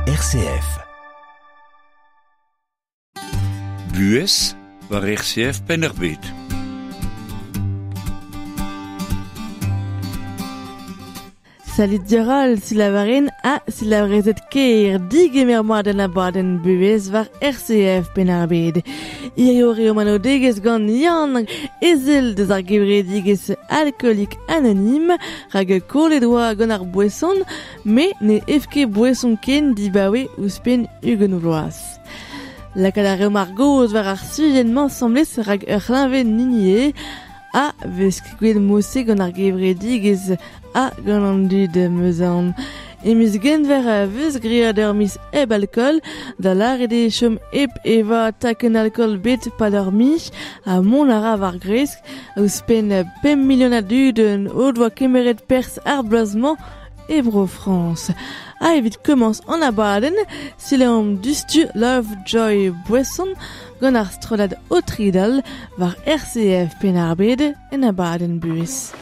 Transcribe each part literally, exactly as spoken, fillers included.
R C F. Buhez war R C F Penn-ar-Bed. Salut diorol, silavaren ha silavrezet ker digemer mat an abadenn buhez war R C F Penn-ar-Bed. Hirio eo manodegez gant Yann ezel deus ar gevredigezh alkoolik anonim rag kollet oa gant ar boeson me ne ev ket boeson ken dibaoe ouzhpenn ugent vloaz. Lakaat a reomp ar gaoz war ar sujenn-mañ asambles rag ur c'hleñved n'hini eo a vez gwell mosse gant ar gevredigezh ha gant an dud 'm eus aon. E miz Genver a vez graet ur miz hep alkool, da lâret eo chom hep evañ takenn alkool bet pad ur miz ha mont a ra war gresk ouzhpenn pemp milion a dud o doa kemeret perzh ar bloaz-mañ e bro Frañs. Ha evit komañs an abadenn, selaomp diouzhtu Love Joy Boisson gant ar strollad O Tridal war R C F Penn-ar-Bed en abadenn Buhez.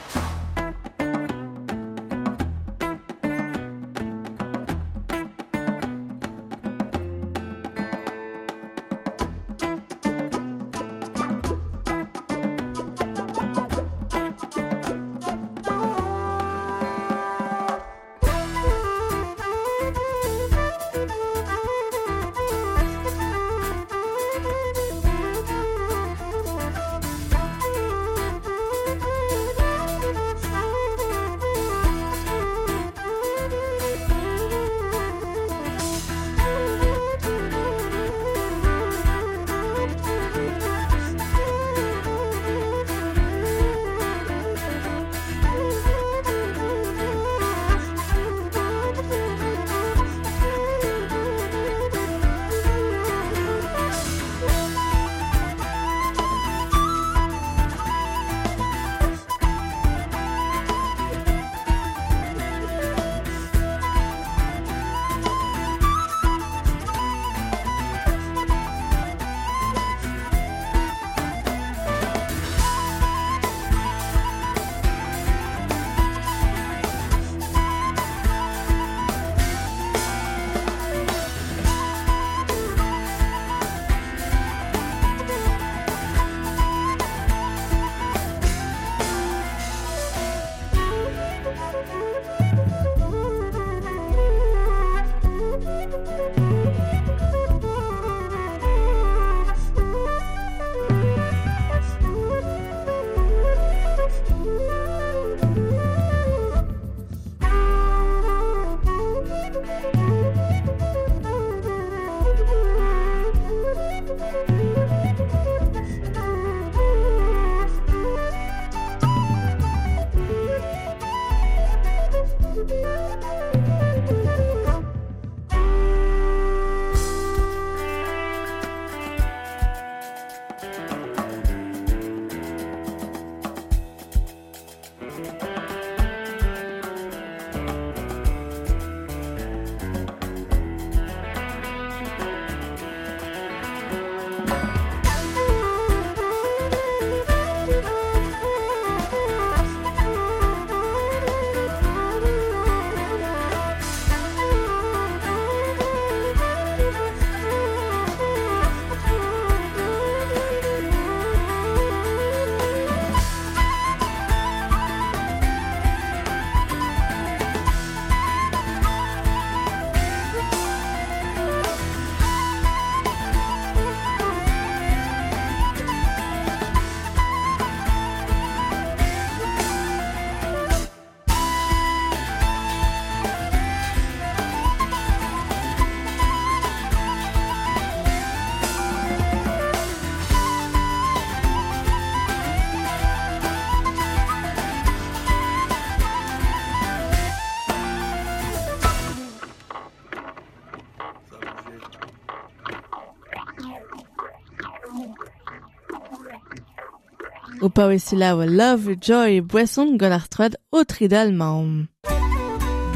O paouez selaou Love Joy Boisson gant ar strollad O Tridal 'maomp.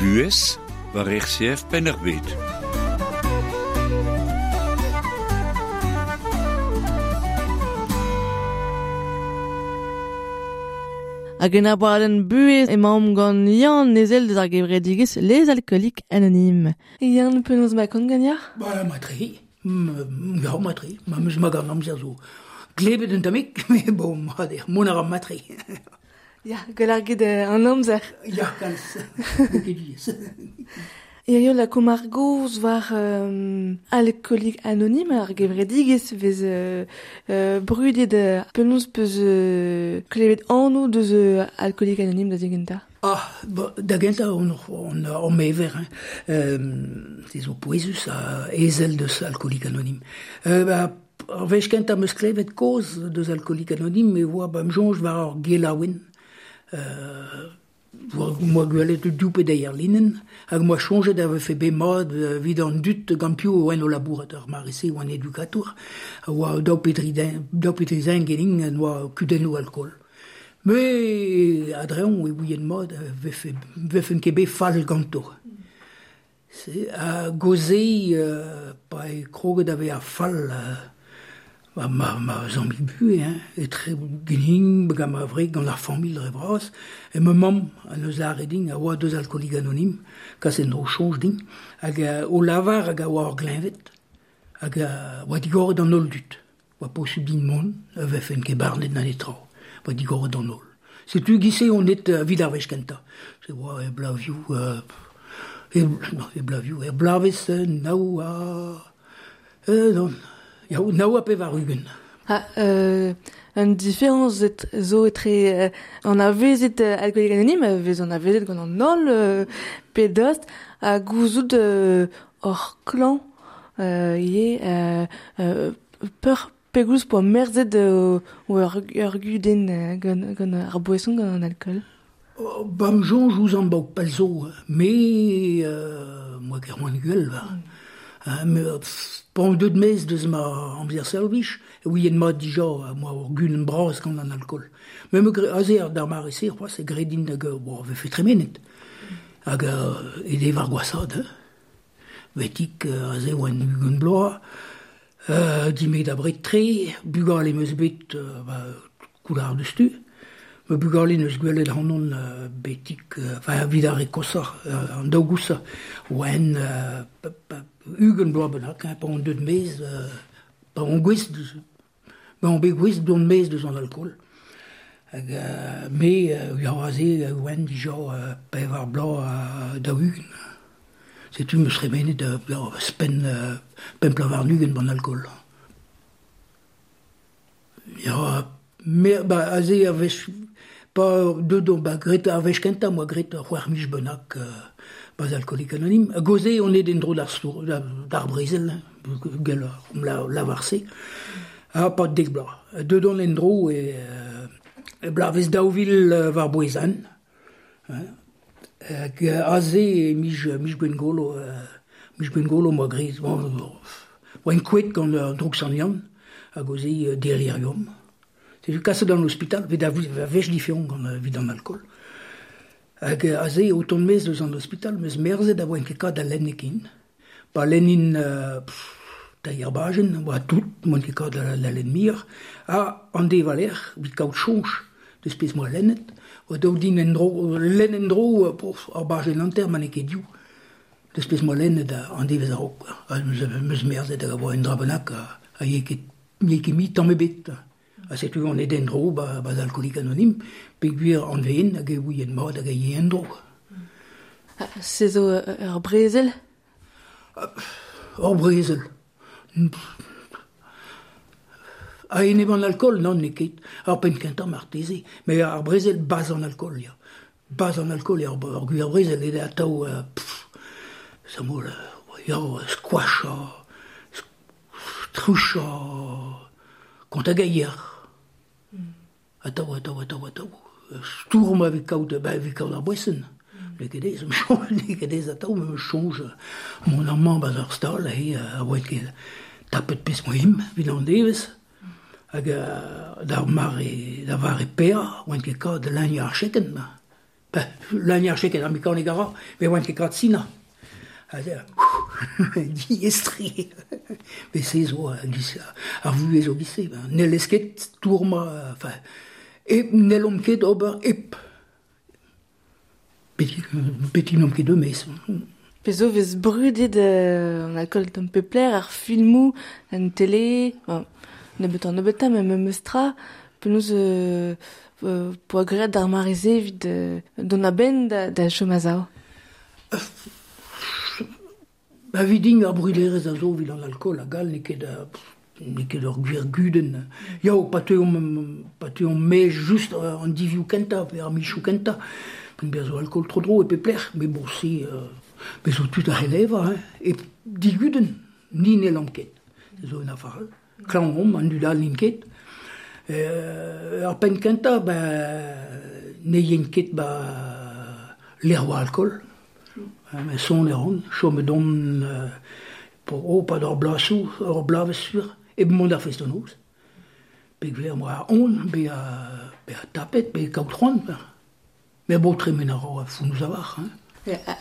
Buhez war R C F Penn-ar-Bed. Hag en abadenn buhez emaomp gant Yann Ezel deus ar gevredigezh Les Alcooliques Anonymes. Yann, penaos ma kont gagnac'h? Ba, ma tre. Ya, ma tre. Ma meus ma gant amzer zo. Glebet un tammig, mais bon, ma der, mont a ra ma tre. Ya, gwell ar get an amzer. Ya, kalz. Ket diaes. Hirio la ar goz war euh, alcoolik anonyme ar gevredigezh vez euh, euh, brudet euh, penaos peus euh, klevet anv deus euh, alcoolik anonyme da zigenta? Ah, ba, da gentañ on, on, on mever, hein. Euh, se zo pouezus a ezel deus alcoolik anonyme. Euh, ba, ar wech kentañ meus klevet koz deus alcoolik anonyme e oa ba m'soñj war ar gelaouenn. Euh, moa gwelet div pe deir linenn, hag moa soñjet a vefe bet mat evit an dud gant piv oan o labourat ar mare-se oan edukatour, a oa daou pe dri den, daou pe dri zen genin en oa kudennoù alkool. Me a-dreñv e ouien mat a vefe, vefen ket bet fall ganto. Se, a goze euh, pa e kroget a vezañ fall euh, ma, ma, ma zammig buhez, hein, etre genin, gant ma wreg, gant ar familh dre vras, e ma mamm an eus lâret din, a oa deus alcoolik anonym, kas en dro soñj din, hag euh, o lavar hag a oa ur gleñved, hag a oa digoret an holl dud. Oa posubl din mont, a vefen ket barnet na netra, oa digoret an holl. Setu giz-se on et euh, evit ar wech kentañ. Se oa e blavioù, euh, e, non, e blavioù, e blavez euh, nav a... Euh, non, ya, nav a pevar ugent. Ah, euh, un différence et, zo etre euh, an avezet euh, alcoolik anonyme, a vez an avezet gant an holl euh, pe dost, ha gouzout euh, hor klan euh, ivez euh, euh, peur pegoulz poa merzet euh, ou ur, ur gudenn euh, gant, gant ar boeson gant an alcool. Oh, bam soñj ouzh an baok pell zo, me euh, moa ket c'hoant gwell, va. Mm. Hein, me, pff, pan deut mez deus ma amzer servij, e ouien mat dija, moa ur gudenn bras gant an alkool. Me me gre, aze ar d'ar mare-se, c'hoazh e gredin hag, bo, vefe tremenet. Hag euh, e dev ar gwasad, hein. Vetik, euh, aze oan ugent bloaz, euh, dimet da bred tre, bugale meus bet, euh, ba, koular deus tu. Me bugale neus gwelet hanon euh, betik, euh, enfin, evit ar re kosañ, euh, an daou gousañ, oan euh, pa, pa, ugent bloaz bennak, hein, pa on deut mez, euh, pa on gouest, pa on bet gouest dont mez deus an alkool. Hag, euh, me, euh, ya aze, oan dija euh, pevar bloaz euh, daou ugent. Setu meus remenet euh, ya, spen, euh, pemp bloaz warn-ugent ban alkool. Ya, me, ba, aze a wech, pa deut on, ba, gret ar wech kentañ, moa gret ur c'hwec'h miz bennak, euh, bas alcoolik anonyme. A goze, on est en dro d'ar stour, d'ar brezel, hein, gell la, la varse. Ha pa dek bloaz. Deut on en dro e, euh, e blavez daou vil euh, war bouezan. Hein. Hag aze e mij, mij gwengolo, euh, mij gwengolo moa gret. Bon, oa en kouet gant euh, droug sant Yann, a goze euh, delirium. Setu kaset d'an ospital, vet a wech diferont gant euh, evit an alkool. Hag aze o tont mez deus an ospital, meus merzet a oan ket kat da lenn ekin. Pa lennin euh, pff, teir bajenn, oa tout, moan ket kat da, da lenn mir. Ha an de valer, evit kaout soñj deus pezh moa lennet, oa daou din en dro, lenn en dro, pof, ar bajenn hanter, ma n'eo ket div. Deus pezh moa lennet an devezh a-raok. Ha meus, meus merzet hag a oa un dra bennak a, a ye ket, n'eo ket mi tamm ebet. Ha setu on et en dro ba, bas alcoolik anonym, peogwir an veen hag e ouien mat hag a ye en dro. Ah, se zo ur brezel? Ur brezel. A enep an alkool, non, n'eo ket. Ar penn kentañ marteze. Mais ar brezel bas an alkool, ya. Bas an alkool, ya, ur gwir brezel, eo atav, euh, pff, sa mo, ya, squashañ, truchañ, kont a gaier. Atav, atav, atav, atav. Stourm evit kaout, ba, evit kaout ar boesenn. N'eo ket aes, n'eo ket aes atav, me soñj, mon amañ bas ar stal, he, a oa ket tapet pezh moa evit an devezh. Hag d'ar mare, da vare pea, oan ket kat lagn ar chekenn, ba. Ba, lagn ar chekenn, ar mekanik a ra, met oan ket kat sinañ. Ha diaes-tre. Met se zo, ar vuhez zo giz-se. N'hellez ket tourmañ, enfin, E n'hellomp ket ober hep. Beti n'omp ket eus. Pezo vez brudet euh, an alkool tamm pepler, ar filmoù, an tele, bon, nebeut an nebeutañ, mais memes tra, penaos euh, euh, poa graet d'ar mare-se evit euh, dont a-benn da, da chom a-sav. Ba vidin ar bruderez a zo evit an alkool hag all, n'eo ket n'eo ket ur gwir gudenn. Yao, pa teuomp, pa teuomp me just an divioù kentañ, pe ar michoù kentañ, pen bezañ zo alkool tro dro e pepler, mais bon, se... Euh, Bez zo tud a c'heleva, hein, e digudenn, ni n'hellomp ket. Se zo un afar. Klañv omp, an dud all n'int ket. Euh, ar penn kentañ, ben, ne yen ket ba lec'h oa alkool. Mm. Son e ran, chom edon euh, oh, pa d'ar blasoù, ur blavez sur, e mont ar fest-noz. Pegver moa on, be a, be a tapet, be kaout c'hoant. Mais bon, tremen a ra founouz a war, hein.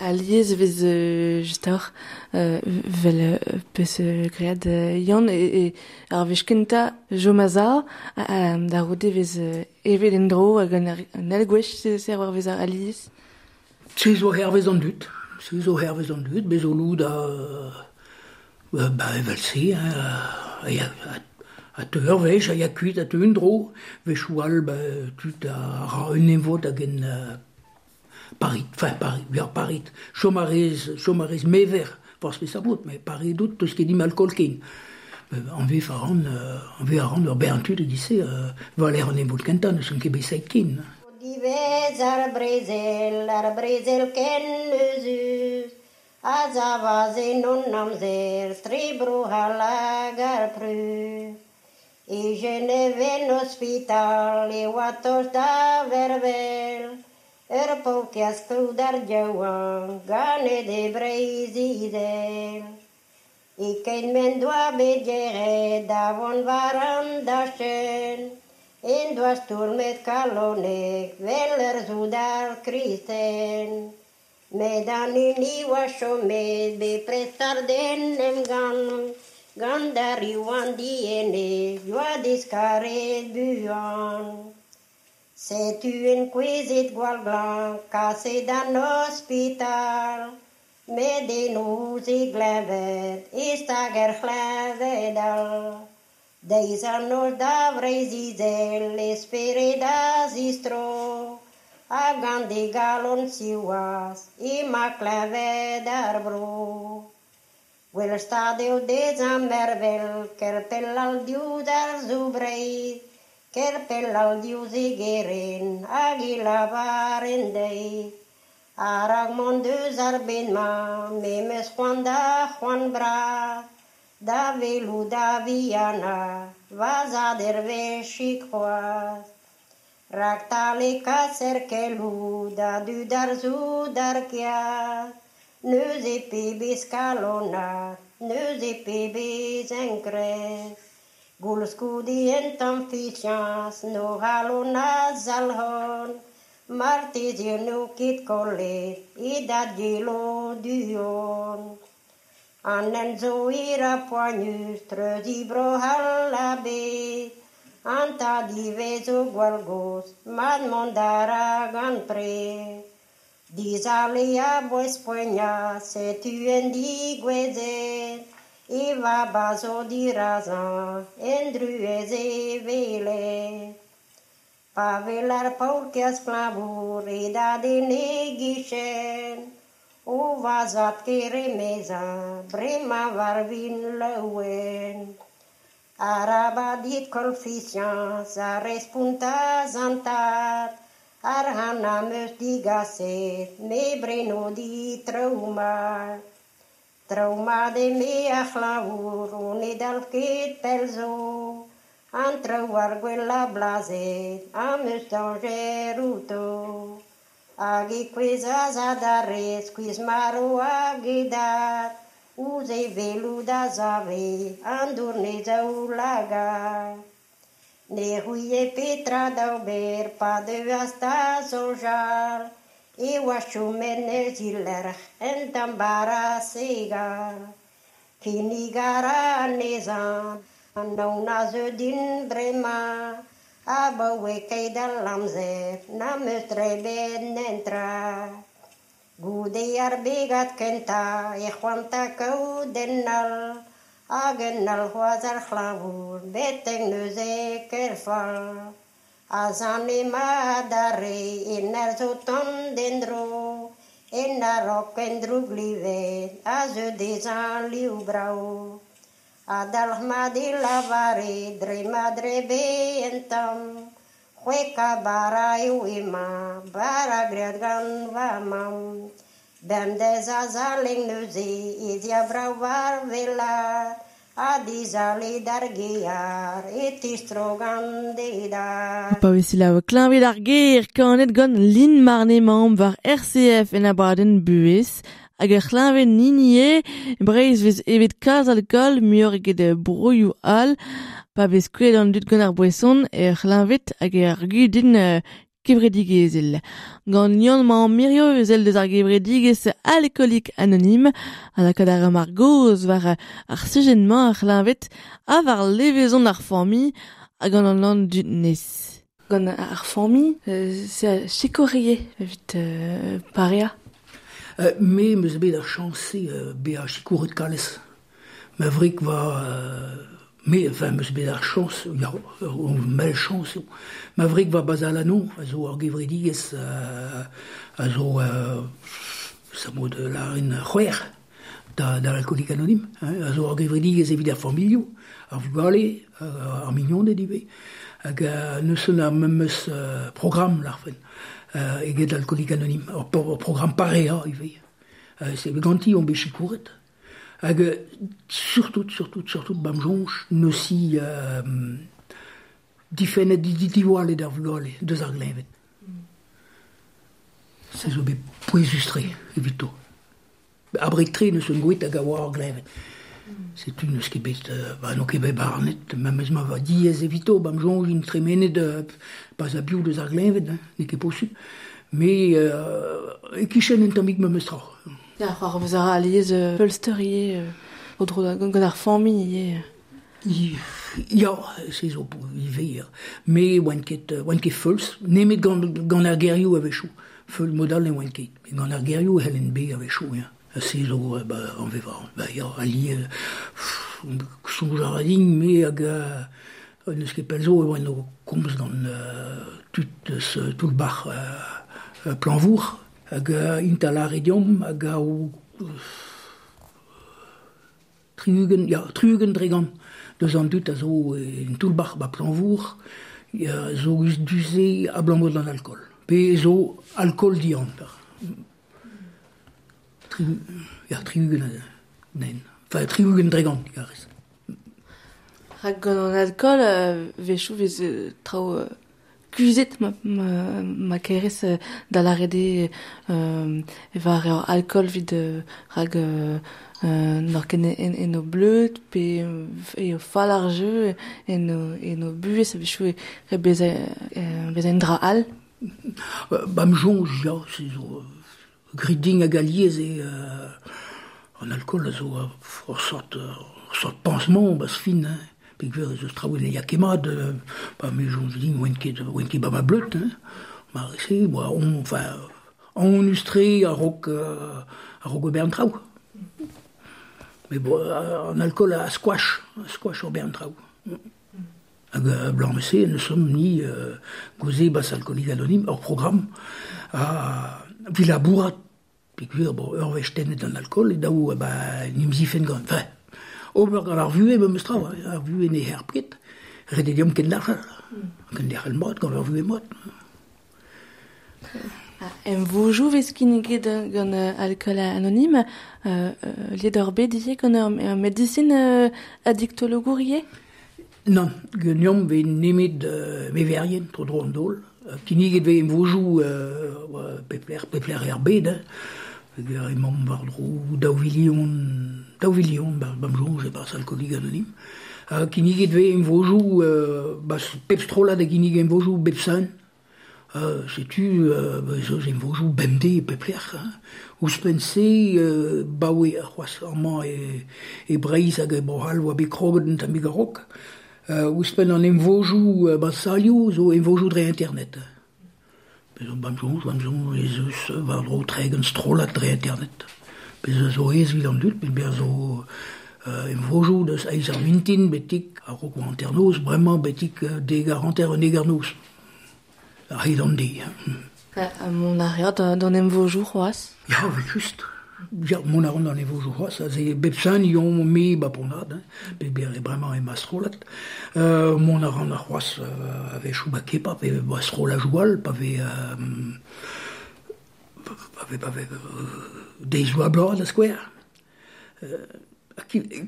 Alies vez euh, just a euh, vel euh, peus euh, graet euh, Yann e, e ar wech kentañ chom a-sav da c'houde vez euh, evet en-dro hag an, an eil gwech se ser war vez ar alies. Se zo hervez an dud. Se zo hervez an dud, bez zo loud a euh, ba evel-se, hein, a, a, a teu ur wech, a ya kuit, a teu un dro. Wechoù all, ba, tud a ra un emvod hag en euh, Paris, enfin Paris, ya Paris, chom a rez, chom a rez mever, forzh peseurt mod, mais Paris dout, teus ket dimp alkool ken. An vez a ran, an vez a ran ur bern tud e-giz-se, euh, valer an emvod kentañ, n'eus ket bet seit ken. Divez ar brezel, ar brezel ken euzhus, a zavas en hon amzer, tre bro hag ar Prus. E Genève en hospital, e oa tost da vervel, ur paourkaezh kloud ar yaouank ganet e Breizh-Izel. E-keit m'en doa bet yec'hed da vont war an dachenn, en doa stourmet kalonek vel ur soudard kristen. Met an hini oa chomet bepred start en emgann, gant ar riv an dienez yoa diskaret buan. Setu en kouezhet gwall glañv, kaset d'an ospital, met eno e gleñved, e stag er c'hleñved all. Deiz an noz da Vreizh-Izel, e spered a zistro, ha gant e galon siwazh, emañ kleñved ar vro. Gwell stad eo dezhañ mervel, ker pell all diouzh ar zou Breizh, ker pell all diouzh e gerent hag e lavaren dezhi. A-raok mont deus ar bed-mañ, me 'm eus c'hoant da c'hoant bras, da welout da vihanañ, va zad er wechig c'hoazh. Raktal e kaser keloù da dud ar soudard kaezh, neuze pebezh kalonad, neuze pebezh enkrez. Koulskoude un tamm fiziañs n'o c'halon a zalc'hont, marteze n'eo ket kollet e dad yelo du-hont. An hent zo hir ha poanius, treuziñ Bro-C'hall a-bezh, an tad ivez zo gwall gozh, mat mont a ra gant prez. Dizale a-bouez poaniañ, setu en digouezhet, e vab a zo dirazañ, en druez e welet. Pa wel ar paourkaezh klañvour e dad en e gichen, o va zad ker emezañ, bremañ war vin laouen. Arabat dit koll fiziañs, a respontas an tad, arc'hant am eus digaset, me breno dit traoù mat. Traoù mat eme ar c'hlañvour, o ne dalv ket pell zo, an traoù ar gwellañ blazet am eus dañjer outo. Hag e kouezhas adarre, skuizh-marv hag e dad, ouzh e welout a save, an dour 'n e zaoulagad. Ne c'houie petra d'ober pa deuas da soñjal, e oa chomet 'n e zilerc'h un tamm bara segal. Kinnig a ra anezhañ, an aon a zeu din bremañ, Abaoe keit al amzer, na meus drebet nentra. Goude ar begad kenta, e c'hoanta kaout en all, hag en all c'hoaz ar c'hlañvour, betek neuze ker fall. A zan ema adarre, en ar zo tont d'endro, en a-raok en drouglivet, a zeu dezhañ liv brao. A dalc'hmat e lavare, dre ma drebe en tamm, c'hwekañ bara eo emañ, bara graet gant va mamm. Bemdez azalek neuze, ez ya brav war wellaat, ha dizale d'ar gear, e tistro gant e dad. Pa vez selaou kleñved ar gêr kanet gant Lin Marne mamm war R C F en abadenn buhez hag ar c'hleñved nini eo Breizh vez evet kalz alkool muioc'h eget broioù all pa vez kouezhet an dud gant ar boeson er c'hleñved hag ar gudenn kevredigezhel. Gant Yann mamm Mirio ezel deus ar gevredigezh alkoolik anonim a lakaat ar ar gozh war ar sujet-mañ ar c'hleñved ha war levezon ar familh hag an an an dud nes. Gant ar familh, c'est sikourier evit euh, pareañ. Euh, me meus bet ar chañs euh, bezañ sikouret kalez. Ma wreg va euh, me, enfin, meus bet ar chañs, ya, ur mell chañs eo. Ma wreg va bazalano, a zo ar gevredigezh euh, a zo euh, sa mod lâren c'hwec'h da, da l'alkoolik anonim, hein, a zo ar gevredigezh evit ar familhoù, ar vugale, ar mignoned ivez, hag euh, neus ar memes euh, programm larfen, euh, eget l'alkoolik anonim, ur, ur programm pareañ ivez. Euh, c'est ganti on bet sikouret. Hag surtout, surtout, surtout, bam soñj, neusi euh, difennet diwallet ar vugale deus ar gleñved. Se zo bet pouezus-tre evito. Abred-tre neus un gwit hag a oa ar gleñved. Setu neus ket bet, euh, ba n'o ket bet barnet, memes ma va diaes evito, bam soñj int tremenet euh, pas a biv deus ar gleñved, hein, n'eo ket posupl. Mais euh, e kichen un tammig memes tra. Ya, c'hoar vez ar aliez euh, feulster ivez, euh, o dro da gant ar familh ivez. Ya, se zo ivez, ya. Me oan ket, oan ket feulz, nemet gant, gant ar gerioù a-wechoù. Feulz modal ne oan ket, met gant ar gerioù e c'hellen bet a-wechoù, ya. Se zo, ba, an veva, ba, ya, aliez, soñj a ra din, me hag euh, neus ket pell zo e oan o komz gant euh, tud eus toull-bac'h euh, Plañvour, hag euh, int a lâre deomp hag a o tri-ugent, ya, tri-ugent dre gant deus an dud a zo en toull-bac'h ba Plañvour, ya, zo eus du-se abalamour d'an alkool. Pe zo alkool dianter. Tri, ya, tri-ugent, nen. Enfin, tri-ugent dre gant, garez. Rak gant an alkool, euh, wechoù vez euh, traoù euh, kuzhet ma, ma, ma kerez euh, da lâret eo euh, e var ur alkool evit euh, rak euh, euh, n'oc'h ket en, en o bleud pe e o fall ar jeu en o, en o buhez a-wechoù e re bezañ euh, bezañ un dra all. Bam soñj, ya, se zo grit din hag aliez eo euh, an alkool a zo ur sort, ur sort pansement ba'z fin, hein. Peogwir ez eus traoù ne ya ket mat, euh, ba me soñj din oan ket, oan ket ba ma bleud, hein. Ma se, boa, on, enfin, on eus-tre a-raok euh, a-raok ober an traoù. Mais bon, an alkool a squash, a squash ober an traoù. Hag euh, blanc-se, nous sommes ni euh, goze bas alkoolik anonim, ur programm a vi labourat, peogwir, bon, ur wech tennet an alkool, e daou, ba, n'em zifen gant, enfin, ober gant ar vuhez memes tra, ar vuhez ne herp ket, ret eo deomp kenderc'hel, kenderc'hel mat gant ar vuhez mat. Em vojoù vez kinniget gant euh, alkool anonim, euh, euh, liet ur bet ivez gant ur, ur medisin euh, addictologour ivez? Nann, ganeomp vez nemet euh, meverien, tro-dro an daol. Kinniget vez em vojoù euh, pep lec'h, pep lec'h er bed, hein. Hag emaomp war-dro daou vilion, daou vilion, ba, bam soñj e-barzh alkoolik anonim. Ha kinniget vez em vojoù, euh, ba, pep strollad a ginnig em vojoù bep sizhun. Euh, setu, euh, ba, ez eus em vojoù bemdez e pep lec'h, hein. Ouzhpenn-se, euh, baoe c'hoazh amañ e, e Breizh hag e Bro-C'hall oa bet kroget un tammig a-raok. Euh, ouzhpenn an emvojoù euh, ba salioù zo emvojoù dre internet. Bez zo bam soñj, bam soñj ez eus war-dro tregont strollad dre internet. Bez zo aes evit an dud, met bezañ zo euh, emvojoù deus eizh ar mintin betek a-raok oa hanternoz, bremañ betek dek ar hanter un dek ar noz. A-hed an deiz. Ha mont a reot d'an emvojoù c'hoazh? Ya, evel-just. Ya, mont a ran d'an emvojoù c'hoazh. Aze bep sul yomp me ba Pont-Aven, hein, pe bremañ emañ strollad. Euh, mont a ran ar c'hoazh euh, a-wechoù ba Kepa, pe ba strollajoù all, pa vez... Euh, pa vez, pa vez euh, deizioù a bloaz da skouer. Euh,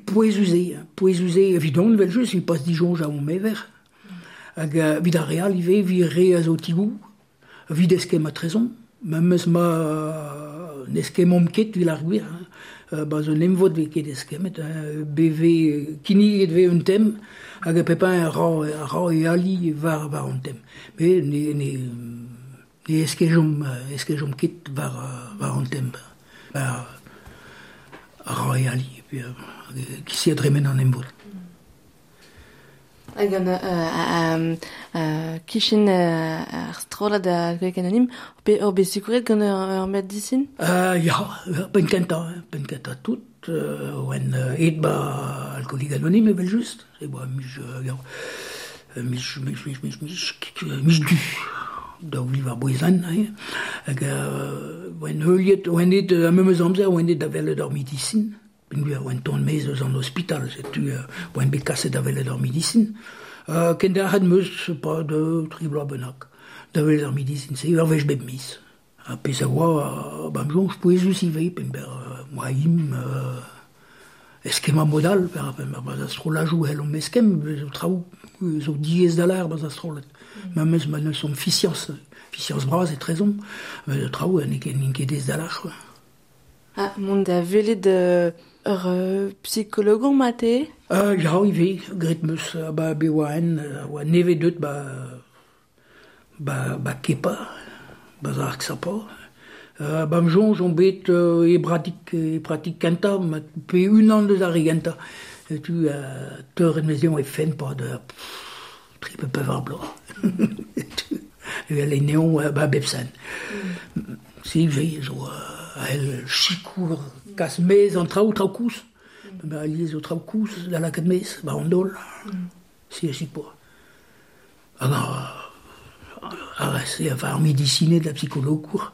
pouezus eo, pouezus eo evidon, evel-just, evit pas disoñj a hon mever. Hag evit ar re all ivez, evit re a zo tigoù, evit eskemm etrezomp, memes ma n'eskemmomp ket evit ar gwir, hein. Ba zo un emvod vez ket eskemmet, hein, beve kinniget vez un tem, hag pep hini a ra, a ra e ali war, war an tem. Met ne, ne, ne eskejomp, eskejomp ket war, war an tem. Ba, a ra e ali, pe, ki a dremen an emvod. Hag an euh, euh, kichen euh, ar strollad Alcooliques Anonymes, ur bet sikouret gant ur, ur medisin? Euh, ya, penn kentañ, penn kentañ tout, euh, oan aet ba Alcooliques Anonymes evel-just, e boa miz, ya, miz, miz, miz, miz, miz, miz du, daou vil war bouezan, hein, hag euh, oan heuliet, oan aet a memes amzer, oan aet da welet ur medisin. Peogwir oan tont maez eus an ospital, setu euh, oan bet kaset da welet ur medisin. Euh, kenderc'het 'm eus pa deux, tri bloaz bennak, da welet ur medisin, se ur wech bep miz. Ha pezh a oa, ba'm soñj pouezus ivez, pember euh, moa im euh, eskemmañ mod all, per ba'z ar strollajoù c'hellomp eskemm, zo traoù zo diaes da lâr ba'z ar strollad. Memes ma neus omp fiziañs, fiziañs bras etrezomp, met traoù n'eo ket n'int ket aes da lâr, quoi. Ah, mont da welet euh, ur euh, psikologour mate? Euh, ya, ivez, graet 'm eus ba bet oa en, oa nevez deut ba, ba, ba Kepa, ba ar Xapa. Euh, ba'm soñj on bet euh, e bratik, e pratik kentañ, met pe unan deus ar re gentañ. Setu euh, teuret 'm eus dezhañ e fenn pad euh, tri pe pevar bloaz. Evel e neon ba bep sul. Mm. Si, ivez, zo... Euh, a sikour kas mez an traoù, traoù koulz. Mm. Ba alies zo traoù koulz da lakaat mez, ba an daol. Mm. Si a sikour. Hag ar, se, enfin, ar medisined, ar psikologour,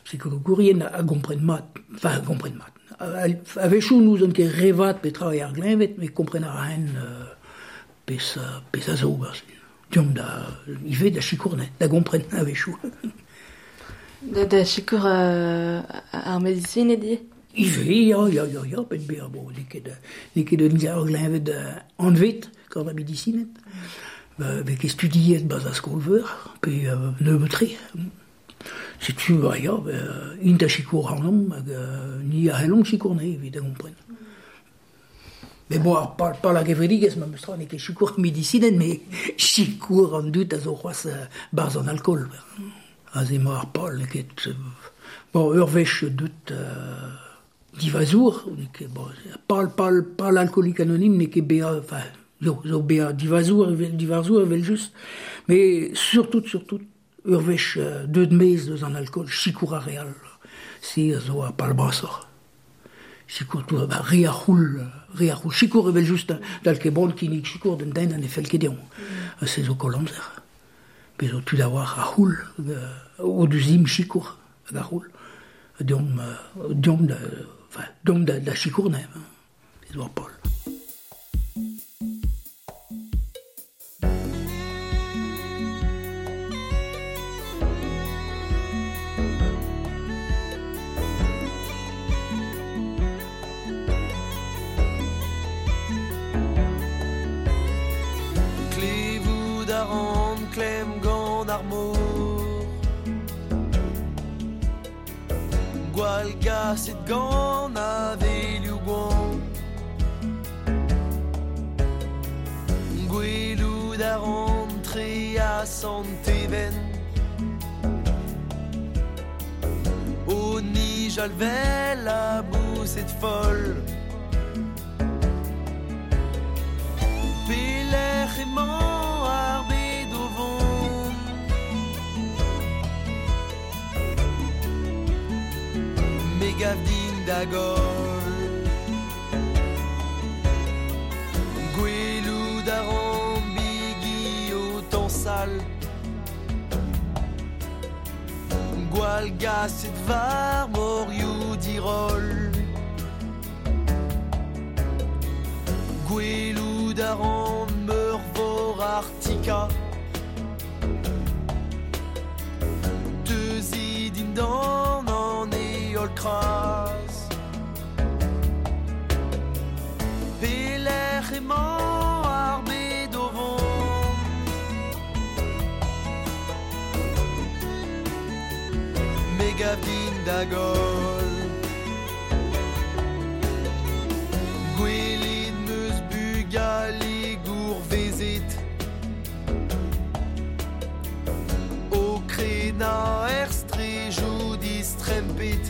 psikologourien a gompren mat, enfin, a gompren mat. A-wechoù n'ouzon ket re vat petra eo ar gleñved, met kompren a raen euh, pezh, pezh a zo. Deomp da, ivez da sikour, ne, da gompren a-wechoù. Da, da sikour euh, ar medisined ivez? Ivez, ya, ya, ya, ya, penn bezañ, bon, n'eo ket, n'eo ket un ur gleñved anvet gant ar medisined. Ba, vez ket studiet ba'z ar skol-veur, pe euh, nebeut-tre. Setu, ba, ya, ba, int a sikour ac'hanomp, hag euh, ni a c'hellomp sikour anezhe evit da gompren. Mais bon, ar pal, pal ar gevredigezh, memes tra, n'eo ket sikour ar medisined, met sikour an dud a zo c'hoazh barzh an alkool. Aze emañ ar pal, n'eo ket... Bon, ur wech deut euh, divazour, n'eo ket... Bon, pal, pal, pal alcoolique anonyme n'eo ket bezañ... Enfin, zo, zo bezañ divazour, evel, divazour evel-just, mais surtout, surtout, ur wech euh, deut maez deus an alkool, sikour ar re all, se a zo ar pal brasoc'h. Sikour tout, ba, re a c'houl, re a c'houl, sikour evel-just, dal ket bon kinnig sikour d'un den an ne fell ket dezhañ. Mm. Se zo koll amzer. Bez zo tud a oar a c'houl, o deus im sikour hag a c'houl. Deomp, deomp da, enfin, deomp da, da sikour ne, hein. Ez oa pal. Klevout a ran klemm gant ar mor, gwall gaset gant avelioù gwan. Gwelout a ran tre a Sant-Even, o nijal vel a boused foll. Pelec'h da goll. Gwelout a ran bigi o tañsal, Gwall gaset war morioù diroll. Gwelout a ran meurvor Artika, Teuzi dindan an heol kras. Pelec'h emañ ar bed o vont? Me gav din da goll. Gwelet 'm eus bugale gourvezet o krenañ er strejoù distrempet.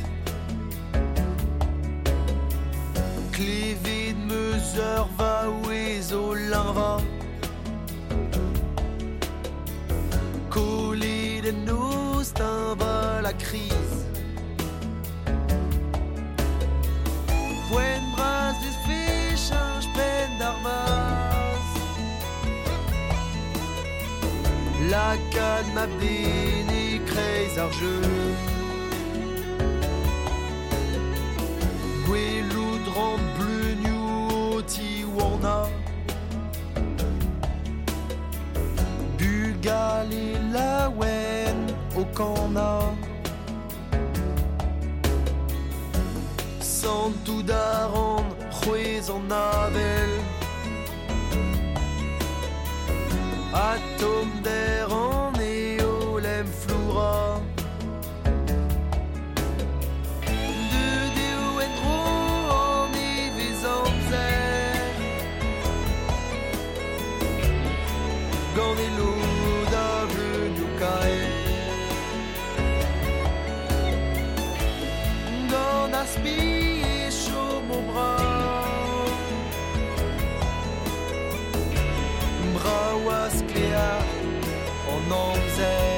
Klevet 'm eus ur vaouez o leñvañ, Kollet en noz teñval ha kriz. Poent bras 'vefe cheñch penn d'ar vazh, Lakaat mab-den e-kreiz ar jeu. Gwelout ran bleunioù o tiwanañ, Bugale laouen o kanañ. Santout a ran c'hwezh an avel, Ha tommder an heol em flourañ. Deut eo en-dro an nevez amzer, Gant e lod a vleunioù kaer. Gant ar spi e chomo brav, Brav ha sklaer an amzer.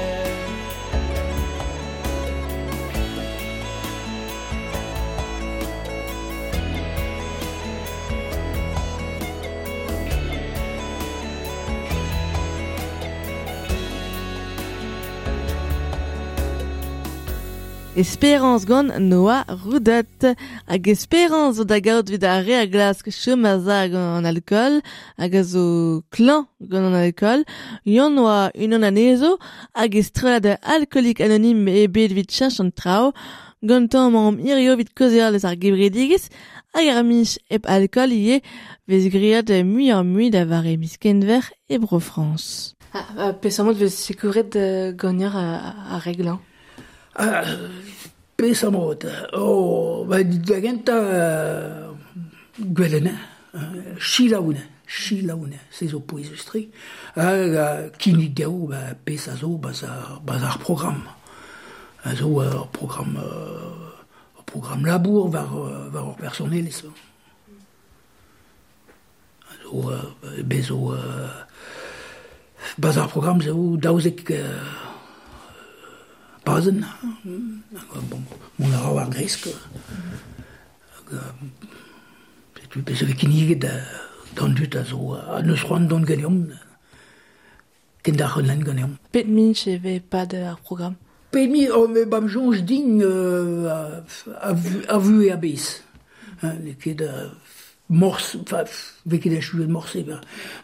Espérance gant Noah Roudet. Hag espérance zo da gaout evit ar re a glask chom a za gant an alkool, hag a zo klañv gant an alkool. Yann oa unan anezho, hag e strollad Alcoolik Anonym eo bet evit cheñch an traoù. Gantañ emaomp hirio evit kaozeal eus ar gevredigezh, hag ar mich hep alkool ivez vez graet muioc'h-mui da vare miz Kenver e Bro-Frañs. Ah, peseurt mod vez sekouret ganeoc'h ar re glañv? Ah, peseurt mod? Oh, ba, da gentañ gwellen, selaou, selaou, se zo pouezus-tre. Hag kinnig dezho, ba, pezh a zo, ba'z ar, ba'z ar programm. A zo ur programm, ur programm labour war, war ur personelezh. A zo, bez zo, ba'z ar programm zo daouzek pazenn. Bon, mont a ra war gresk. Hag, setu pezh a vez kinniget d'an dud a zo a neus c'hoant dont ganeomp, kenderc'hel ganeomp. Pet minch e vez pad ar programm? Pet mi, oh, me bam soñj din euh, a, a vu e a-bezh. Hein, n'eo ket euh, morse, enfin, vez ket achuet morse, ben,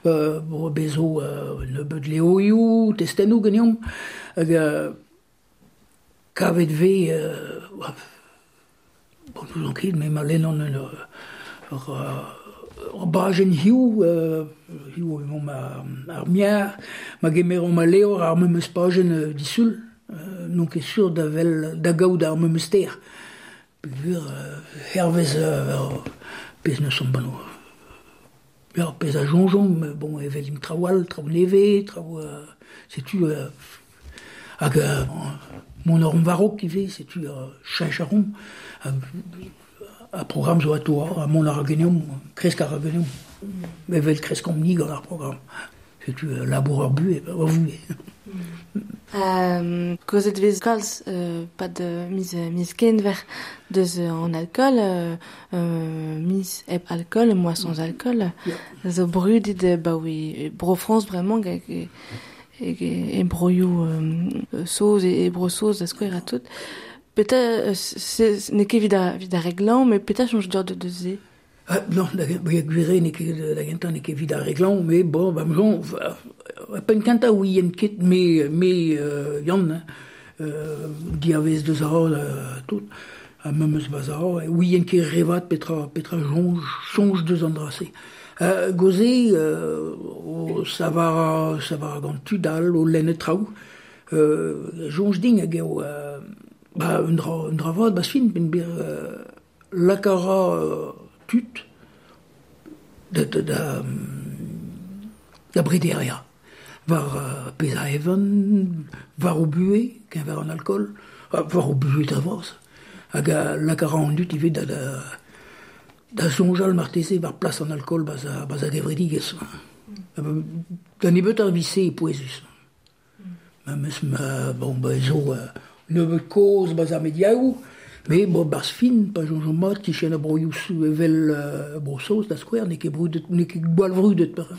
euh, bon, bez zo euh, nebeut levrioù, testennoù ganeomp, hag euh, kavet vez, euh, bon, n'ouzon ket, me ma lennan un ur, ur, ur bajenn hiziv, euh, hiziv emaomp ar, ar miar, ma gemeromp al levr ar memes pajenn euh, disul, euh, n'on ket sur da vel, da gaout ar memes ster. Peogwir, euh, hervez euh, pezh neus omp banno. Ya, pezh a soñjomp, bon, evel im traoù all, traoù nevez, traoù, euh, setu, euh, hag euh, mon orm varok ivez, setu euh, cheñch a rom, a programm zo atao, a mont ar geneomp, kresk ar geneomp, evel kreskomp ni gant ar programm. Setu euh, labour ur buhe, ur vuhe. Euh, Kozet vez kalz euh, pad miz, miz kenver deus an alcool, euh, euh, miz hep alcool, moa sans alcool, Yeah. zo brudet ba oui, bro France vraiment hag e, e, e broioù euh, soz e, e bro soz da skouer a tout. Petra, euh, n'eo ket evit ar, evit ar reglañ, mais petra soñj deoc'h de, de se? Ah, non, da, gwire n'eo ket da gentañ n'eo ket evit ar reglañ, mais bon, ba m'jon, penn kentañ ouien ket me, me euh, Yann, euh, diavez deus ar euh, tout, ha memes baz ar, ouien ket revat petra, petra soñj, soñj deus an dra-se. Euh, goze, euh, o savar, savar gant tud all, o lennet traoù, euh, soñj din hag eo, euh, ba, un dra, un dra vat, ba fin, ben bir, euh, lakara euh, tud da, da, da, da brederia. War uh, pezh a evan, war o buhe, keñver an alcool, war o buhe da vras. Hag a lakara an dud ivez da, da, da soñjal marteze war plas an alcool baz a, baz a gevredigezh. Mm. Da nebeut ar vise e pouezus. Mm. Memes ma, bon, ba zo uh, nebeut kozh baz ar mediaoù, mais bon, barz fin, pa soñj mat, kichen a broioù evel uh, bro-Saoz da skouer, n'eo ket brudet, n'eo ket gwall vrudet par.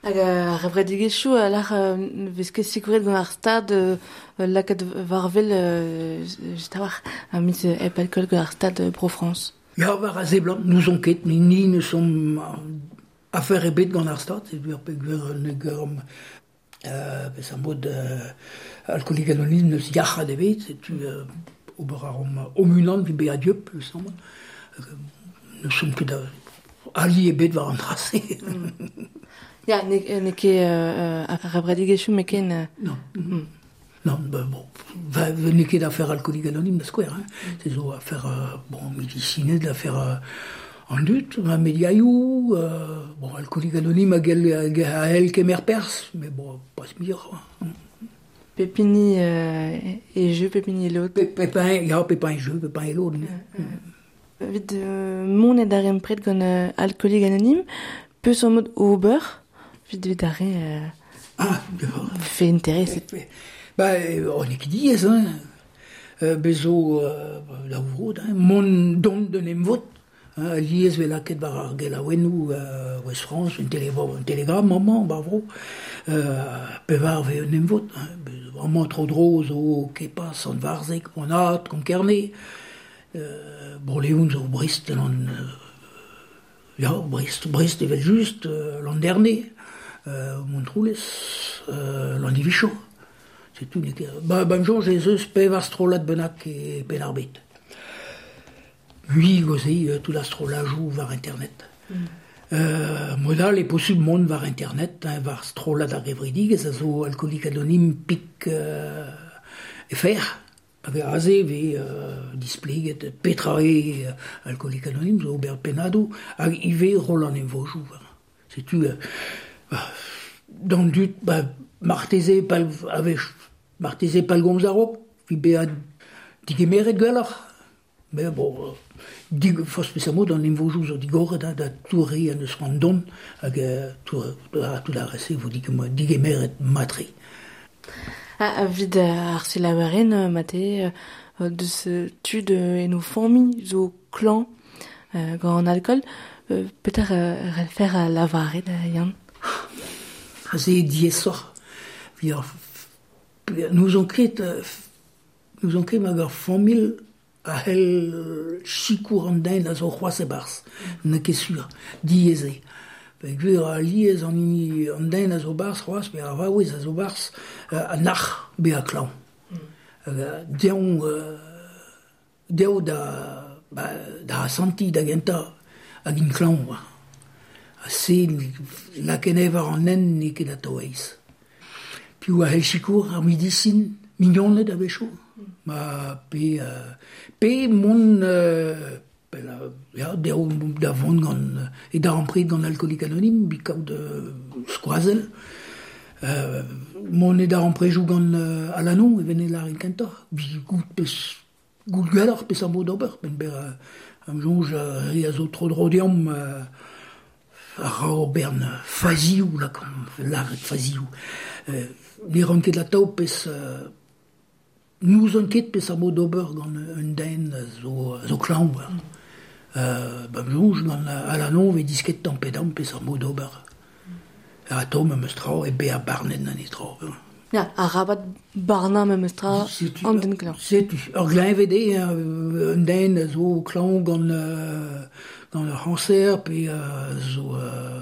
Hag ar gevredigezhioù a lar euh, vez ket sikouret gant ar stad euh, lakaat war-wel euh, just a-walc'h a miz hep alcool gant ar stad Bro-France. Ya, war a seblant, n'ouzon ket, ni, ni ne som afer ebet gant ar stad, c'est ur peogwir ne germ euh, pes ar mod euh, alcoolik anonyme neus yac'had ebet, setu euh, ober ar om unan vi bezañ dieub, le semble. Ne som ket ali ebet war an dra-se. Ya, n'eo ket ar gevredigezhioù met ken... Euh... Non. Mm. Non, ben bon, n'eo ket affaire alcoolique anonyme da skouer, hein. Mm. C'est zo affaire, euh, bon, medisined, affaire euh, an dud, ma mediaioù, euh, bon, alcoolique anonyme hag el, a el kemer pers, mais bon, pas muioc'h. Hein. Pepini euh, e jeu, Pepini e lod. Pe, pepin, ya, pepin e jeu, pepin e lod. Mm. Mm. Evit euh, mont ed ar empred gant euh, alcoolik anonyme, peus an mod ober, evit evit ar re... Euh, ah, fait intérêt. Ba, on eo ket diaes, hein. Euh, bezo euh, da vrod, hein, mont dont d'un emvod, hein, liez vel lakaet war ar gelaouennoù euh, Ouest France, un, télé, un télégramme, amañ, bar vro, euh, pevar ve un emvod, hein, amañ tro dro zo Kepa, Sant-Varzeg, Monat, Konkerne, euh, Bro-Leon zo Brest, l'an, euh, ya, Brest, Brest evel just, euh, l'an dernier, euh, Montroulez, euh, l'an divicho. C'est tout. Ba, ba m'soñj ez eus pevar strollad bennak e Penn-ar-Bed. Mui goze, tout ar strollajoù war internet. Mm. Euh, modal e posubl mont war internet, hein, war strollad ar gevredigezh a zo alcoolik anonyme pik euh, e fer. Hag aze ve euh, displeget petra eo alcoolik anonyme zo ober pennadoù hag ivez roll an emvojoù. Setu, euh, bah, d'an dud, ba, marteze pal avech marteze pal gomz a-raok, vi bezañ digemeret gwelloc'h. Mais bon, dig, forzh peseurt mod an emvojoù zo digoret, hein, da toure an eus c'hoant dont, hag tout, tout ar re-se vo digemeret matre. Ah, evit ar selaouerien, mate, deus tud en o familh zo klañv euh, gant an alcool, euh, petra relfer a lavaret, Yann? Aze diaesoc'h. N'ouzon ket, n'ouzon ket hag ar familh a c'hell sikour an den a zo c'hoazh e-barzh. N'eo ket sur, diaes eo. Peogwir a liez an hini an den a zo barzh c'hoazh, pe ar vaouez a zo barzh, a nac'h bezañ klañv. Mm. Deomp, dezho da, ba, da asantiñ da gentañ hag int klañv. Ha se lakaet war an hent n'eo ket atav aes. Piv a c'hell sikour ar medisin, mignoned a-wechoù. Ma pe, euh, pe mont euh, pe la, ya, dezho da vont gant e darempred gant alcoolik anonyme, bi kaout euh, skoazell. Euh, mont e daremprejoù gant euh, Alanon, e vene lâret kentoc'h. Bi gout pes, gout gwelloc'h peseurt mod ober, ben ber euh, am soñj re a zo tro dro deomp euh, a ra bern fazioù la kom laret fazioù. Euh, ne ran ket la tao pes euh, n'ouzon ket pes ar mod d'ober gant un den zo, zo klañv. Mm. Euh, ba m'soñj gant Alanon ve disket tamm pe damm pes ar mod d'ober. Mm. A to memes tra e bezañ barnet an tra. Ya, arabat barnañ memes tra an den klañv. Setu, ur gleñved eo, un den zo klañv gant, euh, gant ur c'hanser pe euh, zo euh,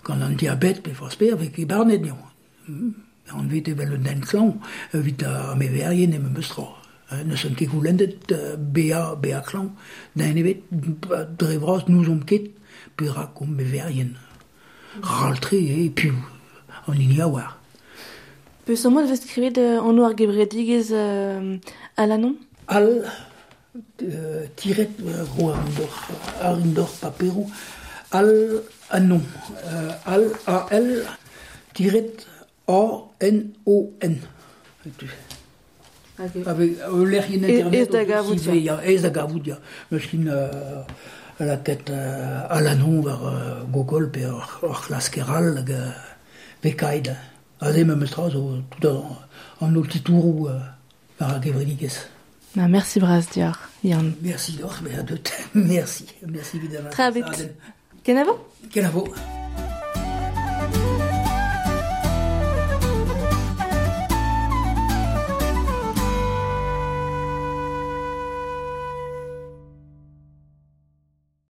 gant an diabet pe forzh pe vez ket barnet dezhañ. Mm. An vet evel un den klañv evit ar meverien e memes tra. N'eus ket goulennet bezañ bezañ klañv den ebet dre vras n'ouzomp ket perak omp meverien. Ral-tre eo piv an hini a oar. Peseurt mod e vez skrivet anv ar gevredigezh euh, Alanon? Al euh, tiret ro ar indor, ar indor paperoù al anon. Euh, al A L tiret A N O N. Okay. Avec ul lec'hienn internet. Ez da gavout, ya. Ez da gavout, ya. Meus kin euh, lakaet euh, Alanon war euh, Google pe ur, ur c'hlasker all hag euh, vekaid. Aze memes tra zo tout an, an holl titouroù euh, war ar gevredigezh. Na, merci bras deoc'h, Yann. Merci deoc'h, bezañ deut. Merci, merci évidemment. Tra vit. Kenavo? Kenavo.